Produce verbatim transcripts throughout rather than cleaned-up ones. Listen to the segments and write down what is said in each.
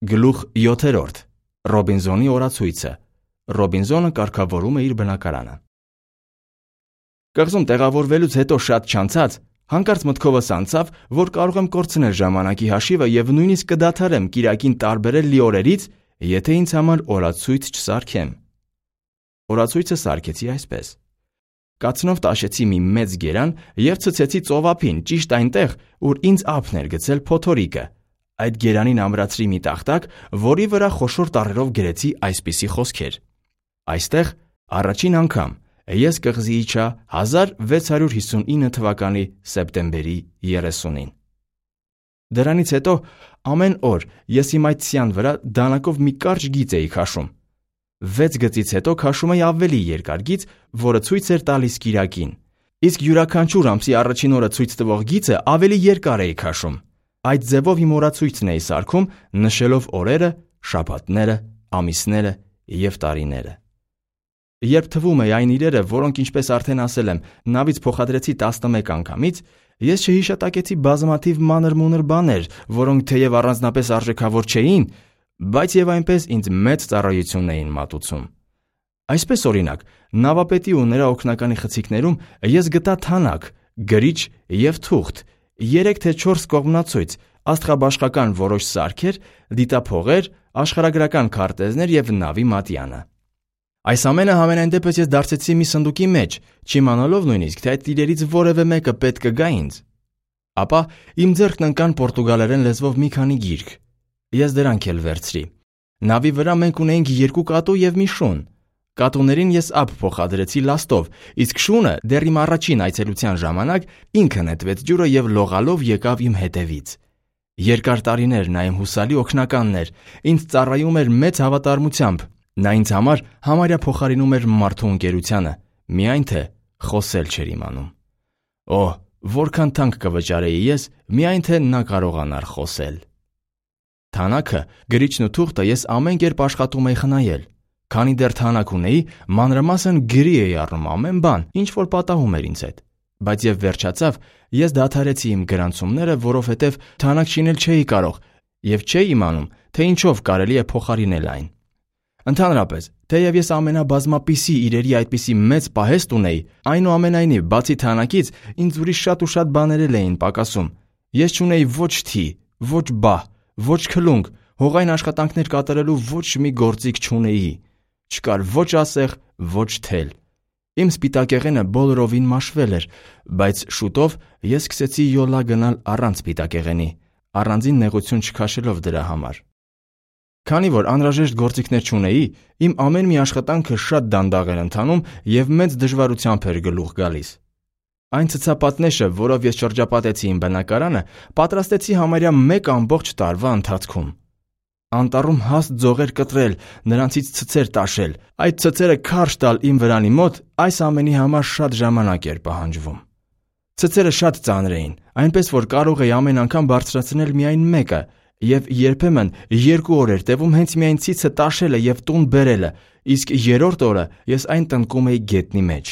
Գլուխ յոթերորդ. Ռոբինզոնի օրացույցը։ Ռոբինզոնը կարգավորում է իր բնակարանը։ Կղզում տեղավորվելուց հետո շատ չանցած, հանկարծ մտքովս անցավ, որ կարող եմ կորցնել ժամանակի հաշիվը եւ նույնիսկ կդադարեմ կիրակին տարբերել լիօրերից, եթե ինձ համար օրացույց չսարքեմ։ Օրացույցը սարքեցի այսպես. կացնով տաշեցի մի մեծ գերան եւ ցցեցի ծովափին ճիշտ այնտեղ, ուր ինձ ափն էր գցել փոթորիկը։ Այդ գերանին ամրացրի մի տախտակ, որի վրա խոշոր տառերով գրեցի այսպիսի խոսքեր. Այստեղ առաջին անգամ ես կղզի իջա հազար վեց հարյուր հիսունինը թվականի սեպտեմբերի երեսունին։ Դրանից հետո ամեն օր ես իմ այդ սյան վրա դանակով մի կարճ գիծ էի քաշում։ Վեց գծից հետո քաշում էի ավելի երկար գիծ, որը ցույց էր տալիս կիրակին։ Իսկ յուրաքանչյուր ամսի առաջին օրը ցույց տվող գիծը ավելի երկար էի քաշում։ Այդ ձևով իմ օրացույցն էի սարքում, նշելով օրերը, շաբաթները, ամիսները եւ տարիները։ Երբ թվում է այն իրերը, որոնք ինչպես արդեն ասել եմ, նավից փոխադրեցի տասնմեկ անգամից, ես չհիշատակեցի բազմաթիվ մանր-մունր բաներ, որոնք թեև առանձնապես արժեքավոր չէին, բայց եւ այնպես ինձ մեծ ծառայություն էին մատուցում։ Այսպես օրինակ, նավապետի ու նրա օգնականի խցիկներում ես գտա թանակ, գրիչ եւ թուղթ, երեք թե չորս կողմնացույց, աստղաբաշխական որոշ սարքեր, դիտափողեր, աշխարհագրական քարտեզներ եւ նավի մատյանը։ Այս ամենը համենայն դեպս ես դարձեցի մի սնդուկի մեջ, չիմանալով նույնիսկ, թե այդ տիրերից որևէ մեկը պետք կգա ինձ։ Ապա իմ ձեռքն ընկան պորտուգալերեն լեզվով մի քանի գիրք։ Ես դրանք էլ վերցրի։ Նավի վրա մենք ունեինք երկու կատու եւ մի շուն։ Կատուներին ես ափ փոխադրեցի լաստով, իսկ շունը դեռ իմ առաջին այցելության ժամանակ ինքը նետվեց ջուրը եւ լողալով եկավ իմ հետևից։ Երկար տարիներ նա իմ հուսալի օգնականն էր, ինձ ծառայում էր մեծ հավատարմությամբ։ Նա ինձ համար համարյա փոխարինում էր մարդու ընկերությանը, միայն թե խոսել չէր իմանում։ Օ, որքան թանկ կվճարեի ես, միայն թե նա կարողանար խոսել։ Թանակը, գրիչն ու թուղթը ես ամեն կերպ աշխատում էի խնայել։ Քանի դեռ թանակ ունեի, մանրամասն գրի էի առնում ամեն բան, ինչ որ պատահում էր ինձ հետ։ Բայց եւ վերջացավ, ես դադարեցի իմ գրանցումները, որովհետեւ թանակ շինել չէի կարող եւ չէի իմանում, թե ինչով կարելի է փոխարինել այն։ Ընդհանրապես, թեև ես ամենաբազմապիսի իրերի այդպիսի մեծ պահեստ ունեի, այնուամենայնիվ, բացի թանակից, ինձ ուրիշ շատ ու շատ բաներ էին պակասում։ Ես չունեի ոչ թի, ոչ բահ, ոչ քլունգ, հողային աշխատանքներ կատարելու ոչ մի գործիք չունեի։ Չկար ոչ ասեղ, ոչ թել։ Իմ սպիտակեղենը բոլորովին մաշվել էր, բայց շուտով ես սկսեցի յոլա գնալ առանց սպիտակեղենի, առանձին նեղություն չքաշելով դրա համար։ Քանի որ անհրաժեշտ գործիքներ չունեի, իմ ամեն մի աշխատանքը շատ դանդաղ էր ընթանում եւ մեծ դժվարությամբ էր գլուխ գալիս։ Այն ցցապատնեշը, որով ես շրջապատեցի իմ բնակարանը, պատրաստեցի համարյա մեկ ամբողջ տարվա ընթացքում։ Անտառում հաստ ձողեր կտրել, նրանցից ցցեր տաշել, այդ ցցերը քարշ տալ իմ վրանի մոտ, այս ամենի համար շատ ժամանակ էր պահանջվում։ Ցցերը շատ ծանր էին, այնպես որ կարող էի ամեն անգամ բարձրացնել միայն մեկը, եւ երբեմն երկու օր էր տևում հենց միայն ցիցը տաշելը եւ տուն բերելը, իսկ երրորդ օրը ես այն տնկում էի գետնի մեջ։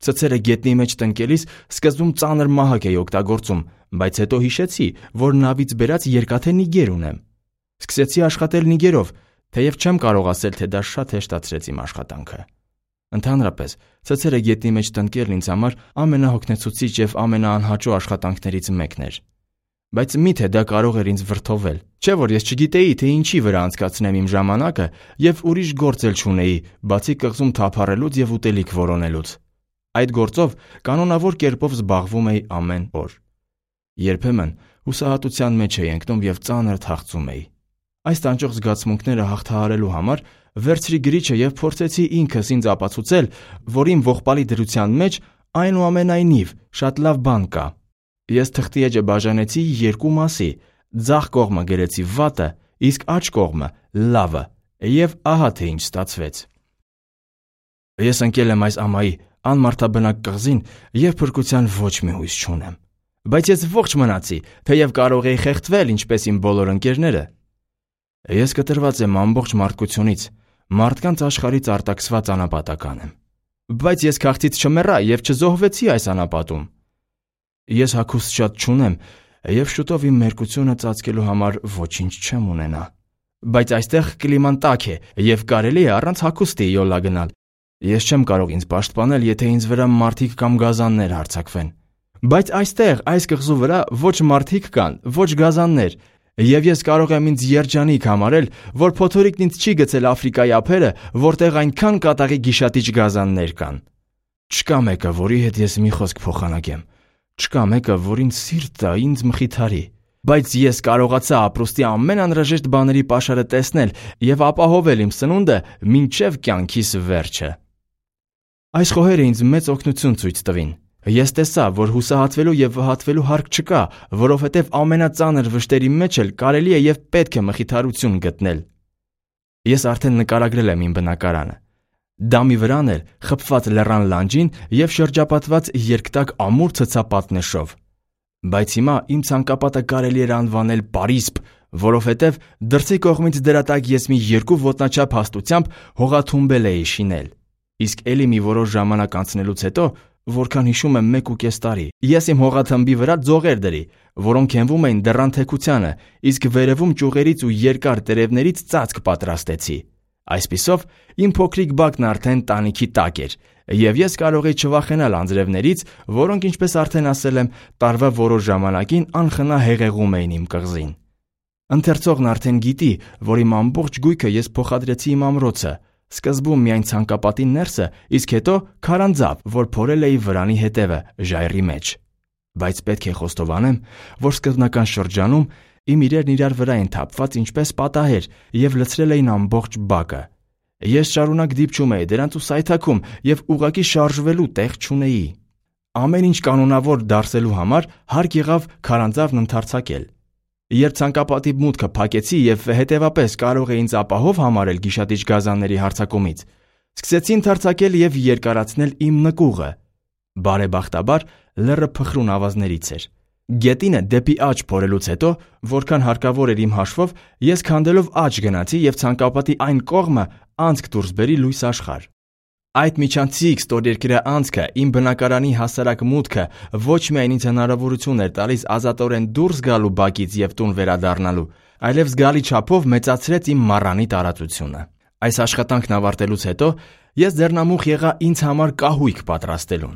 Ցցերը գետնի մեջ տնկելիս սկզբում ծանր մահակ էի օգտագործում, բայց հետո հիշեցի, որ նավից բերած երկաթե նիգեր ունեմ։ Սկսեցի աշխատել նիգերով, թեև չեմ կարող ասել, թե դա շատ հեշտացրեց իմ աշխատանքը։ Ընդհանրապես, ցցերը գետնի մեջ տնկելն ինձ համար ամենահոգնեցուցիչ եւ ամենաանհաճո աշխատանքներից մեկն էր։ Բայց միթե դա կարող էր ինձ վրդովել, չէ՞ որ ես չգիտեի, թե ինչի վրա անցկացնեմ իմ ժամանակը եւ ուրիշ գործ էլ չունեի, բացի կղզում թափառելուց եւ ուտելիք որոնելուց։ Այդ գործով կանոնավոր կերպով զբաղվում էի ամեն օր։ Երբեմն հուսահատության մեջ էի ընկնում եւ ծանր թախծում էի։ Այս տանջող զգացմունքները հաղթահարելու համար վերցրի գրիչը եւ փորձեցի ինքս ինձ ապացուցել, որ իմ ողբալի դրության մեջ այնուամենայնիվ շատ լավ բան կա։ Ես թղթի էջը բաժանեցի երկու մասի, ձախ կողմը գրեցի վատը, իսկ աջ կողմը լավը, եւ ահա թե ինչ ստացվեց։ Ես ընկել եմ այս ամայի անմարդաբնակ կղզին եւ փրկության ոչ մի հույս չունեմ։ Բայց ես ողջ մնացի, թեև կարող էի խեղդվել ինչպես իմ բոլոր ընկերները։ Ես կտրված եմ ամբողջ մարդկությունից, մարդկանց աշխարհից արտաքսված անապատական եմ։ Բայց ես քաղցից չմեռա եւ չզոհվեցի այս անապատում։ Ես հագուստ շատ չունեմ եւ շուտով իմ մերկությունը ծածկելու համար ոչինչ չեմ ունենա։ Բայց այստեղ կլիման տաք է եւ կարելի է առանց հագուստի յոլա գնալ։ Ես չեմ կարող ինձ պաշտպանել, եթե ինձ վրա մարդիկ կամ գազաններ հարձակվեն։ Բայց այստեղ, այս կղզու վրա ոչ մարդիկ կան, ոչ գազաններ, եւ ես կարող եմ ինձ երջանիկ համարել, որ փոթորիկն ինձ չի գցել Աֆրիկայի ափերը, որտեղ այնքան կատաղի գիշատիչ գազաններ կան։ Չկա մեկը, որի հետ ես մի խոսք փոխանակեմ։ Չկա մեկը, որ ինձ սիրտ տա, ինձ մխիթարի։ Բայց ես կարողացա ապրուստի ամեն անհրաժեշտ բաների պաշարը տեսնել եւ ապահովել իմ սնունդը մինչեւ կյանքիս վերջը։ Այս խոհերը ինձ մեծ օգնություն ցույց տվին։ Ես տեսա, որ հուսահատվելու եւ վհատվելու հարկ չկա, որովհետեւ ամենածանր վշտերի մեջ էլ կարելի է եւ պետք է մխիթարություն գտնել։ Ես արդեն նկարագրել եմ իմ բնակարանը։ Դա մի վրան էր, խփված լեռան լանջին եւ շրջապատված երկտակ ամուր ցցապատնեշով։ Բայց հիմա իմ ցանկապատը կարելի էր անվանել Պարիսպ, որովհետեւ դրսի կողմից դրա տակ ես մի երկու ոտնաչափ հաստությամբ հողաթումբել էի շինել։ Իսկ ելի մի որոշ ժամանակ անցնելուց հետո, որքան հիշում եմ մեկ ու կես տարի, ես իմ հողաթմբի վրա ձողեր դրի, որոնք հենվում էին դռան թեքությանը, իսկ վերևում ճյուղերից ու երկար տերևներից ծածկ պատրաստեցի։ Այսպիսով, իմ փոքրիկ բակն արդեն տանիքի տակ էր, եւ ես կարող էի չվախենալ անձրևներից, որոնք, ինչպես արդեն ասել եմ, տարվա որոշ ժամանակին անխնա հեղեղում էին իմ կղզին։ Ընթերցողն արդեն գիտի, որ իմ ամբողջ գույքը ես փոխադրեցի իմ ամրոցը, սկզբում միայն ցանկապատի ներսը, իսկ հետո քարանձավ, որ փորել էի վրանի հետևը, ժայռի մեջ։ Բայց պետք է խոստովանեմ, որ սկզբնական շրջանում իմ իրերն իրար վրա են թափված ինչպես պատահեր եւ լցրել էին ամբողջ բակը։ Ես շարունակ դիպչում էի դրանց ու սայթաքում եւ ուղակի շարժվելու տեղ չունեի։ Ամեն ինչ կանոնավոր դարձելու համար հարկ եղավ քարանձավն ընդարձակել։ Երբ ցանկապատի մուտքը փակեցի եւ հետեւապես կարող էի ինձ ապահով համարել գիշատիչ գազանների հարձակումից, սկսեցի ընդարձակել եւ երկարացնել իմ նկուղը։ Բարեբախտաբար լեռը փխրուն ավազներից էր։ Գետինը դեպի աջ փորելուց հետո, որքան հարկավոր էր իմ հաշվով, ես քանդելով աջ գնացի եւ ցանկապատի այն կողմը անցք դուրս բերի լույս աշխարհ։ Այդ միջանցիկ ստորերկրյա անցքը իմ բնակարանի հասարակ մուտքը ոչ միայն ինձ հնարավորություն էր տալիս ազատորեն դուրս գալու բակից եւ տուն վերադառնալու, այլև զգալի չափով մեծացրեց իմ մառանի տարածությունը։ Այս աշխատանքն ավարտելուց հետո ես ձեռնամուխ եղա ինձ համար կահույք պատրաստելուն։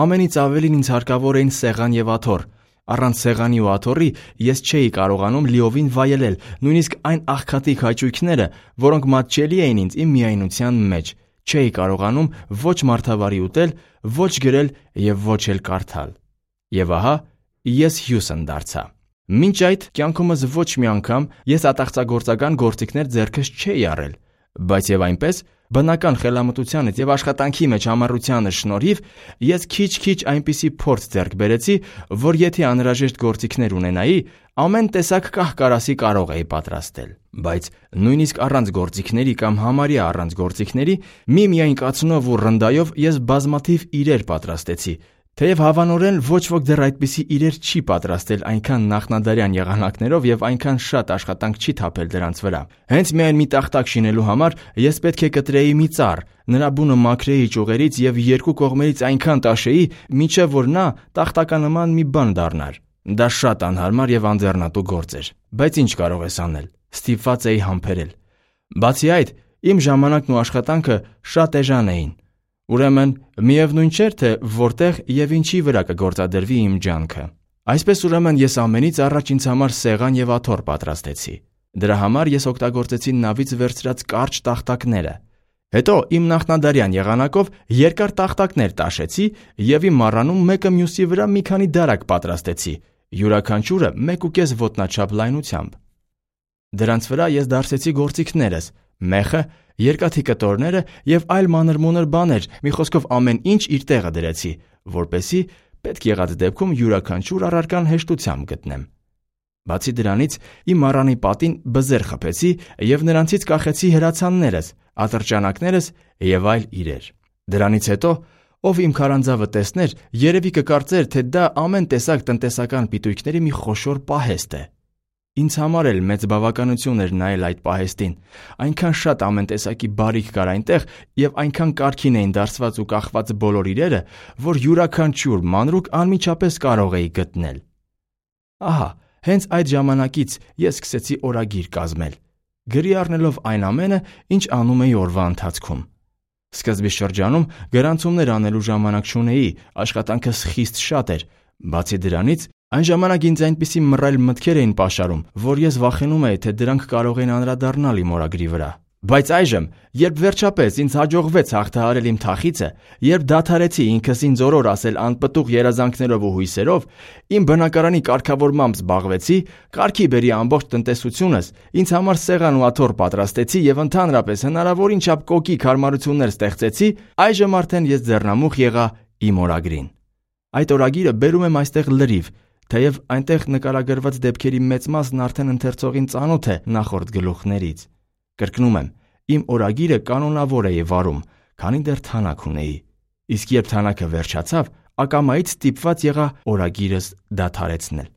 Ամենից ավելին ինձ հարկավոր էին սեղան եւ աթոռ։ Առանց սեղանի ու աթոռի ես չէի կարողանում լիովին վայելել նույնիսկ այն աղքատիկ հաճույքները, որոնք մատչելի էին ինձ իմ միայնության մեջ։ Չէի կարողանում ոչ մարդավարի ուտել, ոչ գրել եւ ոչ էլ կարդալ։ Եվ ահա ես Հյուսն դարձա։ Մինչ այդ կյանքումս ոչ մի անգամ ես ատաղծագործական գործիքներ ձեռքս չէի առել, բայց եւ այնպես բնական խելամտությանից եւ աշխատանքի մեջ համառությանը շնորհիվ ես քիչ-քիչ այնպիսի փորձ ձեռք բերեցի, որ եթե անհրաժեշտ գործիքներ ունենայի, ամեն տեսակ կահ-կարասի կարող էի պատրաստել։ Բայց նույնիսկ առանց գործիքների կամ համարյա առանց գործիքների միմիայն կացնով ու ռնդայով ես բազմաթիվ իրեր պատրաստեցի, թեև հավանորեն ոչ ոք դեռ այդպիսի իրեր չի պատրաստել այնքան նախնադարյան եղանակներով եւ այնքան շատ աշխատանք չի թափել դրանց վրա։ Հենց միայն մի տախտակ շինելու համար ես պետք է կտրեի մի ծառ, նրա բունը մաքրեի ճյուղերից եւ երկու կողմերից այնքան տաշեի, մինչեւ որ նա տախտականման մի բան դառնար։ Դա շատ անհարմար եւ անձեռնատու գործ էր, բայց ինչ կարող ես անել։ Ստիպված էի համբերել։ Բացի այդ, իմ ժամանակն ու աշխատանքը շատ էժան էին։ Ուրեմն միևնույն չէր, թե որտեղ եւ ինչի վրա կգործադրվի իմ ջանքը։ Այսպես ուրեմն ես ամենից առաջ ինձ համար սեղան եւ աթոռ պատրաստեցի։ Դրա համար ես օգտագործեցի նավից վերցրած կարճ տախտակները։ Հետո իմ նախնադարյան եղանակով երկար տախտակներ տաշեցի եւ իմ մառանում մեկը մյուսի վրա մի քանի դարակ պատրաստեցի, յուրաքանչյուրը մեկ ու կես ոտնաչափ լայնությամբ։ Դրանց վրա ես դարսեցի գործիքներս՝ մեխը, երկաթի կտորները եւ այլ մանր-մունր բաներ, մի խոսքով ամեն ինչ իր տեղը դրեցի, որպեսզի պետք եղած դեպքում յուրաքանչյուր առարկան հեշտությամբ գտնեմ։ Բացի դրանից, իմ մառանի պատին բզեր խփեցի եւ նրանցից կախեցի հրացաններս, ատրճանակներս եւ այլ իրեր։ Դրանից հետո, ով իմ քարանձավը տեսներ, երևի կկարծեր, թե դա ամեն տեսակ տնտեսական պիտույքների մի խոշոր պահեստ է։ Ինձ համար էլ մեծ բավականություն էր նայել այդ պահեստին, այնքան շատ ամեն տեսակի բարիք կար այնտեղ եւ այնքան կարգին էին դարձված ու կախված բոլոր իրերը, որ յուրաքանչյուր մանրուք անմիջապես կարող էի գտնել։ Ահա, հենց այդ ժամանակից ես սկսեցի օրագիր կազմել, գրի առնելով այն ամենը, ինչ անում էի օրվա ընթացքում։ Սկզբի շրջանում գրանցումներ անելու ժամանակ չունեի, աշխատանքս խիստ շատ էր։ Բացի դրանից, այն ժամանակ ինձ այնպիսի մռայլ մտքեր էին պաշարում, որ ես վախենում էի, թե դրանք կարող են անդրադառնալ իմ օրագրի վրա։ Բայց այժմ, երբ վերջապես ինձ հաջողվեց հաղթահարել իմ թախիծը, երբ դադարեցի ինքս ինձ օրոր ասել անպտուղ երազանքներով ու հույսերով, իմ բնակարանի կարգավորմամբ զբաղվեցի, կարգի բերի ամբողջ տնտեսությունս, ինձ համար սեղան ու աթոռ պատրաստեցի եւ ընդհանրապես հնարավորին չափ կոկիկ հարմարություններ ստեղծեցի, այժմ արդեն ես ձեռնամուխ եղա իմ օրագրին։ Այդ օրագիրը բերում եմ այստեղ լրիվ, թեև այնտեղ նկարագրված դեպքերի մեծ մասն արդեն ընթերցողին ծանոթ է նախորդ գլուխներից։ Կրկնում եմ, իմ օրագիրը կանոնավոր էի վարում, քանի դեռ թանաք ունեի։ Իսկ երբ թանակը վերջացավ, ակամայից ստիպված եղա օրագիրս դադարեցնել։